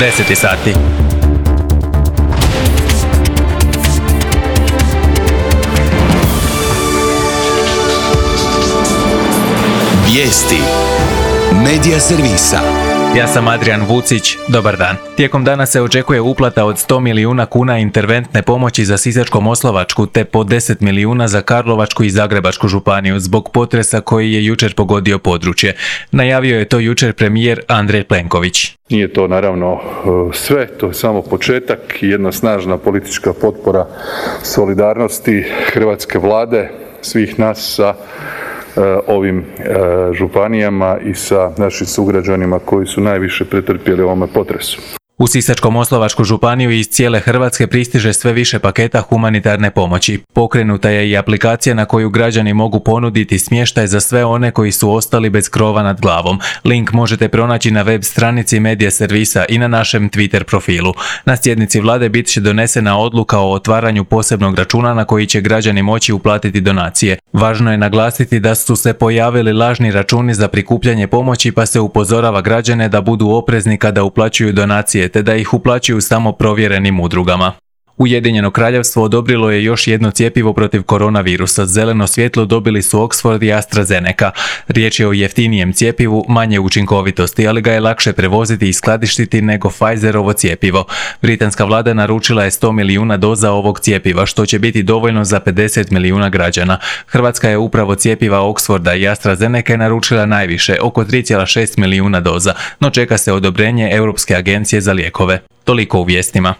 10 sati. Vijesti Medija servisa. Ja sam Adrian Vucić, dobar dan. Tijekom dana se očekuje uplata od 100 milijuna kuna interventne pomoći za Sisačko-moslavačku te po 10 milijuna za Karlovačku i Zagrebačku županiju zbog potresa koji je jučer pogodio područje. Najavio je to jučer premijer Andrej Plenković. Nije to naravno sve, to je samo početak i jedna snažna politička potpora solidarnosti hrvatske vlade, svih nas sa ovim županijama i sa našim sugrađanima koji su najviše pretrpjeli u ovome potresu. U Sisačko-moslavačku županiju iz cijele Hrvatske pristiže sve više paketa humanitarne pomoći. Pokrenuta je i aplikacija na koju građani mogu ponuditi smještaj za sve one koji su ostali bez krova nad glavom. Link možete pronaći na web stranici Medija servisa i na našem Twitter profilu. Na sjednici vlade bit će donesena odluka o otvaranju posebnog računa na koji će građani moći uplatiti donacije. Važno je naglasiti da su se pojavili lažni računi za prikupljanje pomoći, pa se upozorava građane da budu oprezni kada uplaćuju donacije, te da ih uplaćuju samo provjerenim udrugama. Ujedinjeno kraljevstvo odobrilo je još jedno cjepivo protiv koronavirusa. Zeleno svjetlo dobili su Oxford i AstraZeneca. Riječ je o jeftinijem cjepivu, manje učinkovitosti, ali ga je lakše prevoziti i skladištiti nego Pfizerovo cjepivo. Britanska vlada naručila je 100 milijuna doza ovog cjepiva, što će biti dovoljno za 50 milijuna građana. Hrvatska je upravo cjepiva Oxforda i AstraZeneca naručila najviše, oko 3,6 milijuna doza, no čeka se odobrenje Europske agencije za lijekove. Toliko u vijestima.